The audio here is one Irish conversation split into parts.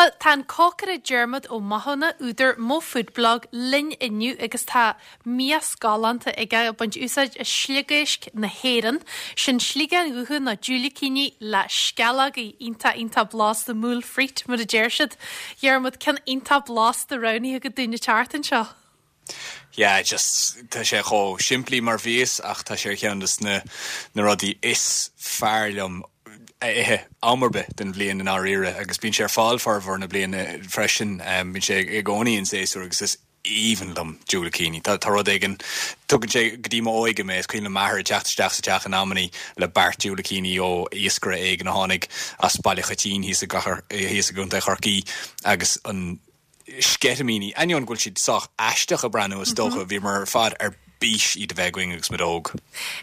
Bhuel, tá an cócaire Diarmuid Ó Mathúna, údar Mo Food Blog, linn inniu agus tá mias galánta aige ag baint úsáid as sliogéisc na hÉireann. Sin sliogáin dhubha nó diúilicíní le sceallógaí iontach iontach blasta moules frites mar a deir siad. Diarmuid, ceann iontach blasta roghnaithe agat dúinn an tseachtain seo. Yeah, just, tá sé chomh simplí mar mhias ach tá sé ar cheann de na na rudaí is fearr liom a ithe am ar bith den bhliain i ndáiríre agus bíonn sé ar fáil formhór na bliana freisin. Bíonn sé i gcónaí in séasúr agus is aoibhinn liom diúilicíní. Tá tá rud éigin, tugann sé go dtí m'óige mé, is cuimhin liom m'athair ag teacht isteach sa teach in amannaí le beart diúilicíní ó iascaire éigin a tháinig as Baile Choitín thíos i thíos i gContae Chorcaí agus an sceitimíní, ainneoin go bhfuil siad sách aisteach ag breathnú is dócha, bhíomar ar fad ar bís iad a bheith againn agus muid óg.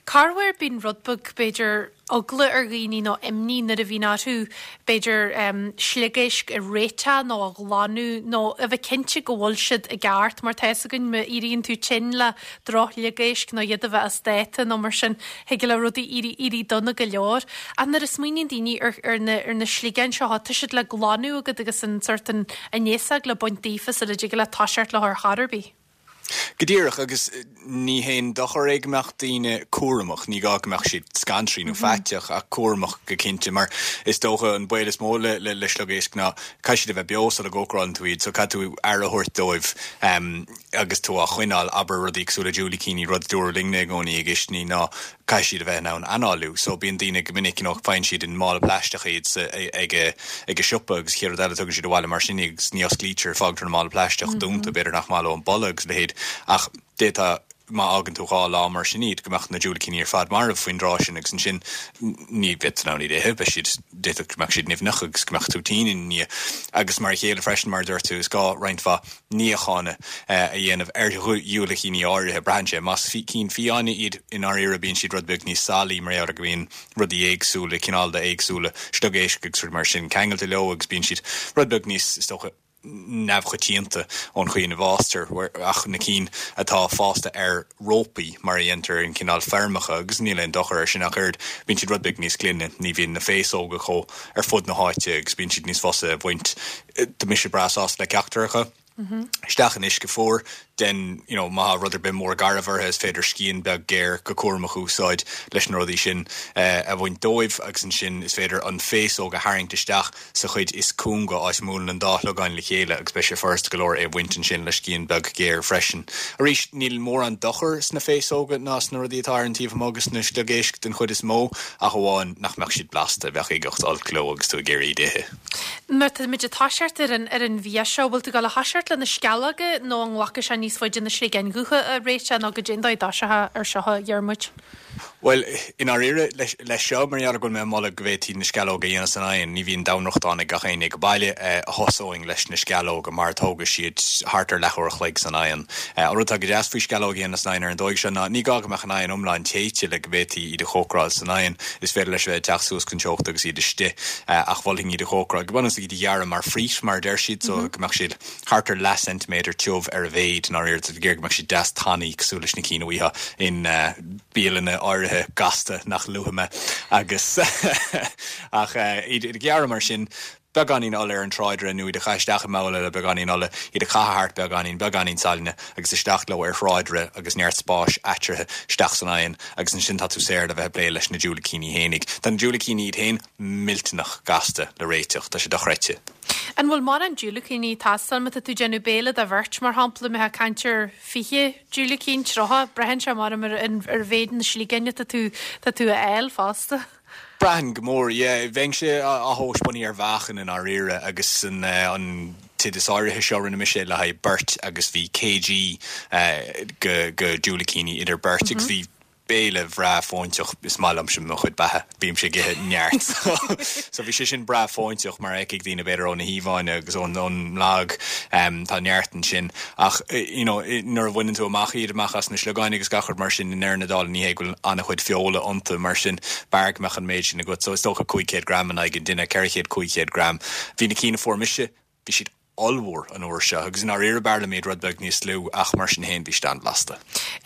Corruair bíonn rud beag, b'fhéidir, eagla ar dhaoine nó imní nuair a bhíonn orthu, b'fhéidir, sliogéisc a réiteach nó a ghlanadh nó a bheith cinnte go bhfuil siad i gceart mar tá fhios againn má éiríonn tú tinn le droch-shliogéisc nó iad a bheith as dáta nó mar sin, thig le rudaí éirí éirí dona go leor. Ach nuair a smaoiníonn daoine ar ar na ar na sliogáin seo, tá siad le glanadh agat agus an sórt an an fhéasóg le baint daofa sula dtig leat toiseacht leo ar chor ar bith. Go díreach, agus ní haon dochar é go mbeadh daoine cúramach, ní gá go mbeadh siad scantraí nó faiteach, ach cúramach go cinnte, mar is dócha an baol is mó le le sliogéisc ná caithfidh siad a bheith beo sula gcócarálann tú iad, so caithfidh tú aire a thabhairt dóibh. Agus tú á choinneáil, abair rudaí cosúil le diúilicíní, rud a dúradh linne i gcónaí i gcistiní ná caithfidh siad a bheith in ann análú. So bíonn daoine go minic, you know, faigheann siad in mála plaisteach iad sa, ag a, ag a siopa agus chéad rud eile tugann siad abhaile mar sin iad agus ní osclaítear, fágtar an mála plaisteach dúnta, b'fhéidir nach maith leo an boladh agus a leithéid ach d'fhéadfá má fhágann tú 2 lá mar sin iad, go mbeadh na diúilicíní ar fad marbh faoin dtráth sin agus ansin ní bheidh tú in ann iad a ithe, beidh siad, d'fhéadfadh go mbeadh siad nimhneach agus go mbeadh tú tinn ina ndiaidh. Agus mar a chéile freisin, mar a dúirt tú, is gá roinnt mhaith níocháin a dhéanamh ar dhiúilicíní áirithe. Braitheann sé. Más cinn fiáine iad, i ndáiríre, bíonn siad rud beag níos salaí mar gheall ar go mbíonn rudaí éagsúla, cineálacha éagsúla sliogéisc agus rudaí mar sin ceangailte leo agus bíonn siad rud beag níos, is dócha, neamhchoitianta ón chaoi ina bhfástar, ach na cinn atá fásta ar rópaí mar a dhéantar in cineál feirmeacha, agus níl aon dochar air sin ach oiread, bíonn siad rud beag níos glaine, ní bhíonn na féasóga chomh ar fud na háite agus bíonn siad níos fusa a bhaint. Tá mise breá sásta le ceachtar acu. Isteach in uisce fuar, den, you know, má tá rud ar bith mór garbh orthu is féidir scian beag géar go cúramach a úsáid leis na rudaí sin a bhaint dóibh agus ansin is féidir an féasóg a tharraingt isteach sa chuid is cúnga, áit a mbuaileann an dá shliogán le chéile agus beidh sé furasta go leor é a bhaint ansin le scian beag géar freisin. Arís, níl mórán dochair sna féasóga ná sna rudaí atá ar an taobh amuigh de na sliogéisc den chuid is mó, ach amháin nach mbeadh siad blasta, bheadh uigeacht olc leo agus tú ag iarraidh iad a ithe. Má tá muid ag toiseacht ar an ar an bhia seo, bhfuil tú ag dul a thoiseacht le na sceallóga nó an nglacfaidh sé níos faide na sliogáin dhubha a réiteach nó goidé an dóigh a dtoiseofá ar seo, a Dhiarmuid? Bhuel, i ndáiríre, leis seo, mar gheall ar go bhfuil mé ag moladh go bhféadfaí na sceallóga a dhéanamh san oigheann, ní bhíonn domhainfhriochtán ag gach éinne ag baile, thosóinn leis na sceallóga mar tógfaidh siad thart ar leathuair a chloig san oigheann. An rud atá go deas faoi sceallóga a dhéanamh san oigheann ar an dóigh seo ná ní gá go mbeadh an oigheann iomlán téite le go bhféadfaí iad a chócaráil san oigheann. Is féidir leis a bheith ag teacht suas chun teochta agus iad istigh, ach mholfainn iad a chócaráil go bunúsach iad a ghearradh mar frít, mar a deir siad, so go mbeadh siad. thart ar leath-ceintiméadar tiubh ar a mhéid, i ndáiríre, tá tú ag iarraidh go mbeadh siad deas tanaí cosúil leis na cinn a bhfaighfeá in bialanna áirithe gasta nach luafaidh mé agus ach iad a ghearradh mar sin, beagáinín ola ar an tráidire nó iad a chaitheamh isteach i mbabhla le beagáinín ola, iad a chaitheamh thart beagáinín, beagáinín sailinne agus isteach leo ar thráidire agus neart spáis eatarthu isteach san oigheann agus ansin tá tú saor le bheith ag plé leis na diúilicíní fhéinig. Tá na diúilicíní iad féin millteanach gasta le réiteach, tá sé dochreidte. An bhfuil mórán diúilicíní ag teastáil má tá tú ag déanamh béile do bheirt, mar shampla, mbeifeá ag caint ar 20 diúilicín, 30, braitheann sé mar ar ar mhéid na sliogáin atá tú tá tú a fháil fosta. Braitheann go mór, yeah. Bheinnse á thomhas bunaithe ar mheáchan i ndáiríre agus an an t-oideas áirithe seo rinne mise le haghaidh beirt agus bhí kg go go diúilicíní idir beirt agus bhí béile bhreá fóinteach, is maith liomsa mo chuid beatha, bímse ag ithe neart so bhí sé sin breá fóinteach mar a fheicfidh daoine b'fhéidir ó na híomhánna agus ón ón mblag tá neart ansin ach you know nuair a bhaineann tú amach iad amach as na sliogáin agus gach rud mar sin i ndeireadh na dála ní hé go bhfuil an-chuid feola iontu mar sin b'fhearr go mbeadh an méid sin agat so is dócha 500 gram in aghaidh an duine, 400, 500 gram. Bhí na cinn a fuair mise, bhí siad. ollmhór an uair seo agus i ndáiríre b'fhearr liom iad rud beag níos lú ach mar sin féin bhí siad an-bhlasta.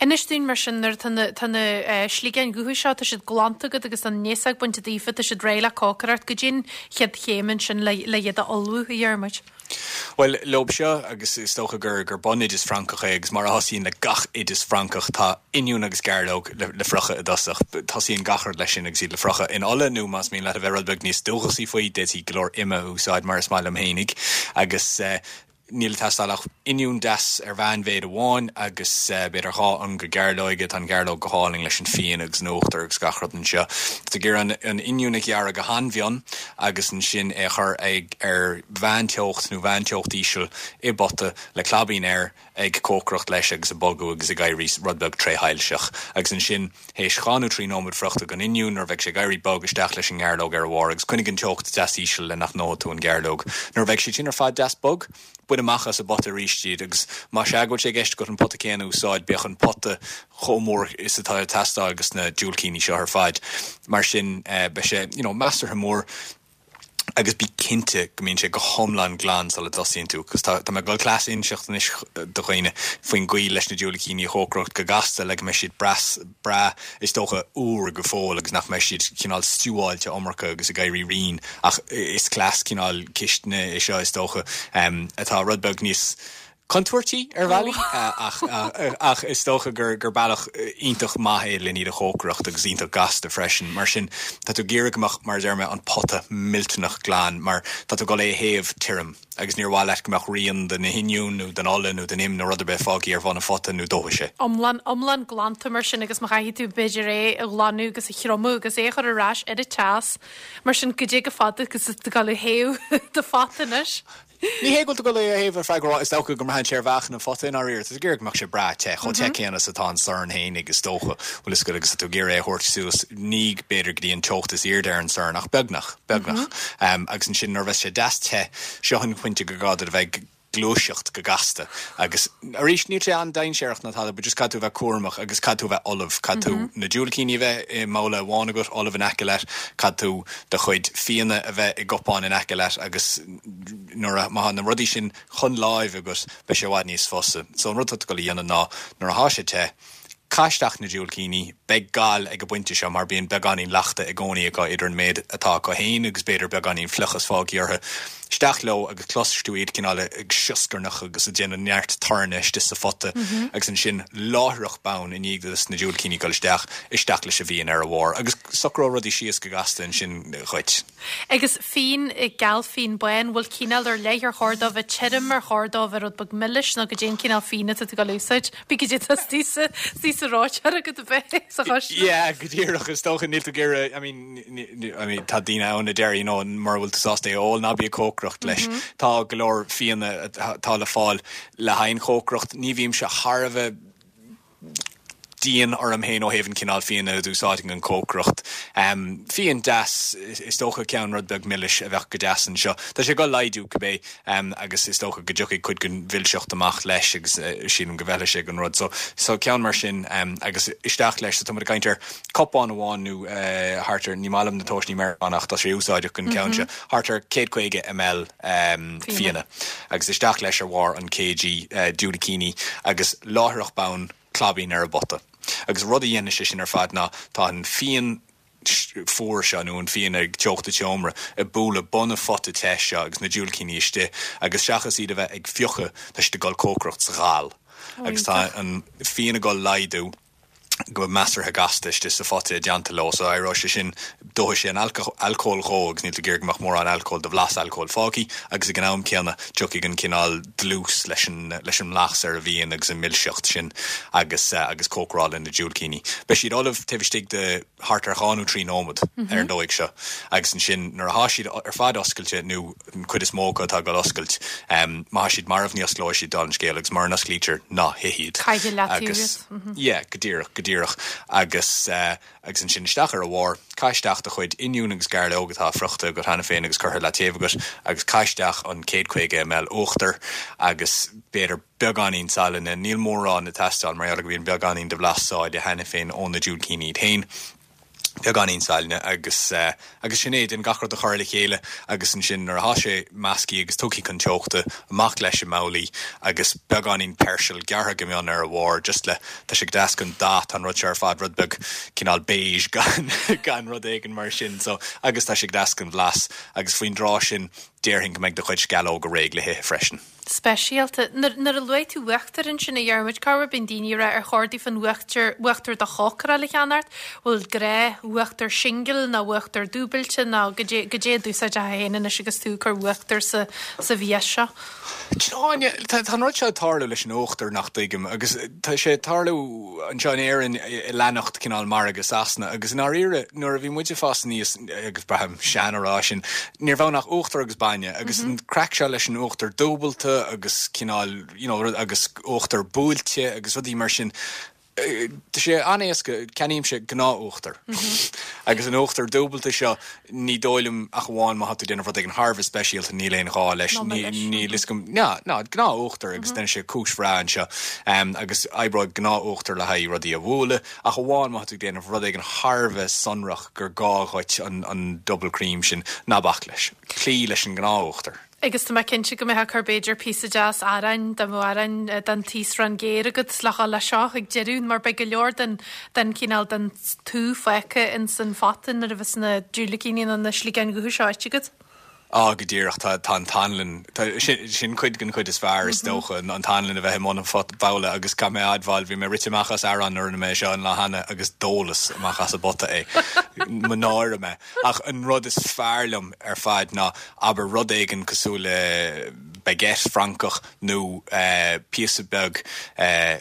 Inis dúinn mar sin nuair atá na tá na sligeáin dhubha seo tá siad glanta agat agus an fhéasóg bainte daofa tá siad réidh le cócaireacht goidé an chéad chéim ansin le le iad a ullmhú a Dhiarmuid. Bhuel leob seo agus is dócha gur gur bunoideas Francach é agus mar a thosaíonn le gach oideas Francach tá oinniún agus gairleog le le friochadh i dtosach. Tosaíonn gach rud leis sin agus iad le friochadh in ola nó más mian leat a bheith rud beag níos dúchasaí faoi d'fhéadfaí go leor ime a úsáid mar is maith liom fhéinig agus níl ag teastáil ach oinniún deas ar mheánmhéid amháin agus b'fhéidir 2 ionga gairleoige. Tá an ghairleog go hálainn leis an fíon agus an uachtar agus gach rud anseo. Tá tú ag iarraidh an oinniún a ghearradh go han-mhion agus ansin é a chur ag ar mheánteocht nó mheánteocht íseal i bpota le claibín air ag cócaireacht leis agus ag bogadh agus ag éirí rud beag tréshoilseach. Agus ansin, théis 2 nó 3 nóiméad friochta den oinniún, nuair a bheidh sé ag éirí bog, isteach leis an ngairleog ar a bharr agus coinnigh an teocht deas íseal le nach ndófaidh tú an ghairleog. Nuair a bheidh siad sin ar fad deas bog, bain amach as an bpota arís iad agus más ea go bhfuil sé i gceist agat an pota céanna a úsáid, bíodh an pota chomh mór is atá ag teastáil dos na diúilicíní seo ar fad. Mar sin, beidh sé, you know, measartha mór agus bí cinnte go mbíonn sé go hiomlán glan sula dtosaíonn tú 'cause tá, tá mé ag dul cleas a inseacht anois do dhaoine faoin gcaoi leis na diúilicíní a chócaireacht go gasta le go mbeidh siad breá, breá, is dócha, úr go fóill agus nach mbeidh siad cineál stiúáilte iomarca agus ag éirí righin ach is cleas cineál cistine é seo is dócha atá rud beag níos contúirtí ar bhealaí ach ach is dócha gur gur bealach iontach maith é len iad a chócaireacht agus iontach gasta freisin. Mar sin tá tú ag iarraidh go mbeadh, mar a deir mé, an pota millteanach glan mar tá tú ag dul é a théamh tirim agus níor mhaith leat go mbeadh rian de na hoinniúin nó den ola nó den im nó rud ar bith fágtha ar bhun an phota nó dófaidh sé. Iomlán, iomlán glanta mar sin agus má chaithfidh tú b'fhéidir é a ghlanadh agus a thriomú agus é a chur ar ais ar an teas mar sin goidé chomh fada agus atá tú ag dul a théamh do phota anois. Ní hé go bhfuil tú ag dul é a théamh ar feadh ró, is dócha go mbraitheann sé ar mheáchan an phota i ndáiríre. Tá tú ag iarraidh go mbeadh sé breá te, chomh te céanna is atá an sorn fhéinig is dócha, bhfuil fhios agat, agus tá tú ag iarraidh é a thabhairt suas, ní b'fhéidir go dtí an teocht is airde ar an sorn ach beagnach, beagnach. Agus ansin nuair a bheas sé deas te, seo an pointe gur gá duit a bheith ag gluaiseacht go gasta. Agus arís, níl sé an-dainséarach ná tada, but just caithfidh tú a bheith cúramach agus caithfidh tú a bheith ullamh. Caithfidh tú na diúilicíní a bheith i mbabhla amháin agat, ullamh in aice leat, caithfidh tú do chuid fíona a bheith i gcupán in aice leat agus nuair a, má tá na rudaí sin chun láimhe agat, beidh sé i bhfad níos fusa. So an rud atá tú ag dul a dhéanamh ná, nuair atá sé te, caith isteach na diúilicíní, beidh gal ag an bpointe seo mar bíonn beagáinín leachta i gcónaí acu idir an méid atá acu féin agus b'fhéidir beagáinín fliuchas fágtha orthu. Isteach leo agus cloisfidh tú iad cineál ag sioscarnach agus ag déanamh neart torainn istigh sa phota agus ansin láithreach bonn i ndiaidh dos na diúilicíní dul isteach, isteach leis an bhfíon ar a bharr agus socróidh rudaí síos go gasta ansin dhuit. Agus fíon geal fíon bán, bhfuil cineál ar leith ar chóir dó bheith tirim, ar chóir dó bheith rud beag milis nó goidé an cineál fíon atá tú ag dul a úsáid? Bí goidé tá istigh sa istigh sa reoiteoir agat a bheith sa choisne. Yeah, go díreach, is dócha níl tú ag iarraidh, I mean, I mean tá daoine ann a deir, you know, mura bhfuil tú sásta é a ól, ná bí ag cócaireacht leis. Tá go leor fíona atá le fáil le haghaidh an chócaireacht. Ní bhímse thar a bheith dian orm féin ó thaobh an cineál fíona a d'úsáidfinn don chócaireacht. Fíon deas, is dócha ceann rud beag milis a bheadh go deas anseo. Tá sé ag dul laghdú cibé agus is dócha go dtiocfaidh cuid den mhilseacht amach leis agus sílim go bhfeilfidh sé don rud. So, so ceann mar sin agus isteach leis. So tá muid ag caint ar cupán amháin nó thart ar, ní maith liom na tomhaisní Meiriceánach, tá sé úsáideach don cheann seo, thart ar 150 ml fíona agus isteach leis ar bharr an kg diúilicíní agus láithreach bonn claibín ar an bpota. Agus rud a dhéanfaidh sé sin ar fad ná tá an fíon fuar seo nó an fíon ag teocht an tseomra ag bualadh bun an phota te seo agus na diúilicíní istigh agus seachas iad a bheith ag fiuchadh tá siad ag dul cócaireacht sa ghal agus tá an fíon ag dul laghdú go measartha gasta istigh sa phota i dteannta leo so éireoidh sé sin, dófaidh sé an alcól dhó agus níl tú ag iarraidh go mbeadh mórán alcóil de bhlas alcóil fágtha agus ag an am céanna tiocfaidh an cineál dlús leis an leis an mblas ar an bhfíon agus an milseacht sin agus agus cócaráladh na diúilicíní. Beidh siad ullamh taobh istigh de thart ar 2 nó 3 nóiméad ar an dóigh seo agus ansin nuair atá siad ar fad oscailte nó an cuid is mó acu atá ag dul oscailt, má tá siad marbh ní osclóidh siad dála an scéil agus mura n-osclaítear ná hith iad. Caith leat iad. Yeah, go díreach, go díreach. Agus agus ansin isteach ar a bharr, caith isteach do chuid oinniún agus gairleog atá friochta agat cheana féin agus curtha leataobh agat agus caith isteach an 150 ml uachtair agus b'fhéidir beagáinín salainne, níl mórán ag teastáil mar gheall go mbíonn beagáinín de bhlas sáile cheana féin ó na diúilicíní iad féin. Beagáinín saill agus agus sin é, déan gach rud a chur le chéile agus ansin nuair atá sé measctha agus tugtha chun teochta, amach leis i mbabhlaí agus beagáinín peirsil gearrtha go mion ar a bharr just le, tá sé go deas don dath, tá an rud seo ar fad rud beag cineál beige gan gan rud éigin mar sin so agus tá sé go deas don bhlas agus faoin dtráth sin déarfainn go mbeidh do chuid sceallóga réidh le hithe freisin. Speisialta. Nuair a luaigh tú uachtar ansin, a Dhiarmuid, corruair bíonn daoine ag rá ar chóir daofa an uachtar, uachtar do chócaráil a cheannacht, bhfuil gnáth uachtar singil nó uachtar dúbailte nó goidé, goidé a d'úsáidfeá féin anois agus tú ag cur uachtar sa, sa mhias seo? Áine, tá an rud seo ag tarlú leis an uachtar nach dtuigim agus tá sé ag tarlú anseo in Éirinn ag leanacht cineál margadh Sasana agus i ndáiríre nuair a bhí muid ag fás aníos, agus braithim sean ag rá sin, ní raibh ann ach uachtar agus bainne agus an craic seo leis an uachtar dúbailte agus cineál you know agus uachtar buailte agus rudaí mar sin, tá sé an-éasca, ceannaímse gnáth-uachtar agus an uachtar dúbailte seo ní dóigh liom ach amháin má tá tú ag déanamh rud éigin thar a bheith speisialta níl aon ghá leis, níl fhios agam, ná, ná, gnáth-uachtar agus déanann sé cúis bhreá anseo agus oibreoidh gnáth-uachtar le haghaidh rudaí a bhualadh ach amháin má tá tú ag déanamh rud éigin thar a bheith sonrach gur gá dhuit an double cream sin, ná bac leis. Cloígh leis an ngnáth-uachtar. Agus tá mé cinnte go mbeifeá ag cur b'fhéidir píosa deas aráin, dá mbeadh arán den taosrán géar agat le dhul leis seo ag deireadh mar beidh go leor den den cineál den t-úth fágtha ins an phota nuair a bheas na diúilicíní nó na sligeáin dhubha seo ite agat. Á, go díreach, tá tá an t-anlann, tá, sin sin cuid den chuid is fearr is dócha, an t-anlann a bheith i mbun an phot babhla agus caithfidh mé a admháil, bhí mé rite amach as arán nuair a rinne mé é seo an lá cheana agus d'ólas amach as an bpota é. Mo náire mé. Ach an rud is fearr liom ar fad ná, abair, rud éigin cosúil le baguette Francach nó píosa beag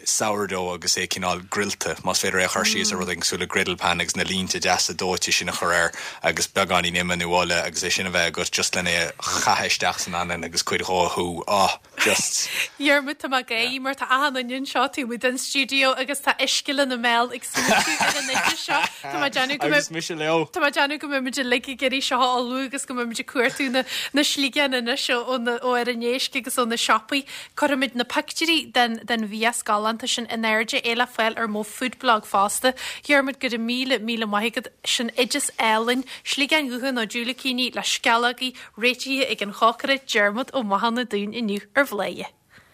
sourdough agus é cineál grillta, más féidir é a chur síos ar rud éigin cosúil le griddle pan agus na línte deasa dóite sin a chur air agus beagáinín ime nó ola agus é sin a bheith agat just len é a chaitheamh isteach san anlann agus cuid dhó a shú. Oh, just. Dhiarmuid, tá mé ag gáirí mar tá achan duine anseo taobh amuigh den stiúideo agus tá uisce lena mbéal ag smaointiú ar an oideas seo. Tá mé ag déanamh go Agus mise leo. Tá mé ag déanamh go mbeidh muid uilig ag iarraidh seo a ullmhú agus go mbeidh muid ag cuartú na na sligeáin anois ó ó na ó ar an éisc agus ó na siopaí. Cuirfimid na pictiúirí den den mhias galánta sin in airde, é le fáil ar mo food blog fosta. Dhiarmuid, go raibh míle míle maith agat. Sin oideas álainn, sligeáin dhubha nó diúilicíní le sceallógaí, réitithe ag an chócaire Diarmuid Ó Mathúna dúinn inniu ar Bhladhaire.